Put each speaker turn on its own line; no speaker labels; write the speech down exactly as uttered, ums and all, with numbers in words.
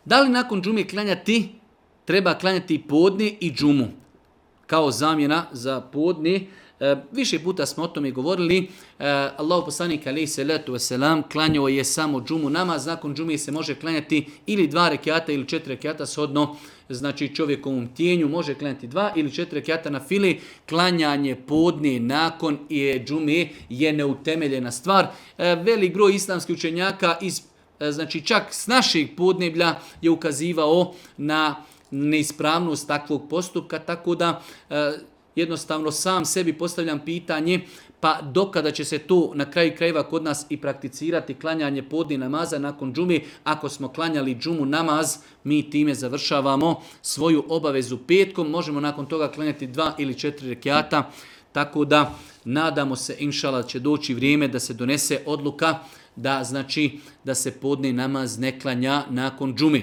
Da li nakon džume klanjati, treba klanjati podne i džumu kao zamjena za podne? E, više puta smo o tome govorili. E, Allahu poslanik alejhi selatu vesselam klanjao je samo džumu namaz. Nakon džume se može klanjati ili dva rekjata ili četiri rekjata shodno znači čovjekovom tijenju. Može klanjati dva ili četiri rekjata na fili. Klanjanje podne nakon je džume je neutemeljena stvar. E, velik broj islamskih učenjaka iz znači čak s našeg podneblja je ukazivao na neispravnost takvog postupka, tako da e, jednostavno sam sebi postavljam pitanje pa dokada će se to na kraju krajeva kod nas i prakticirati klanjanje podne namaza nakon džume. Ako smo klanjali džumu namaz, mi time završavamo svoju obavezu petkom, možemo nakon toga klanjati dva ili četiri rekjata, tako da nadamo se inšala će doći vrijeme da se donese odluka da znači da se podne namaz ne klanja nakon džume.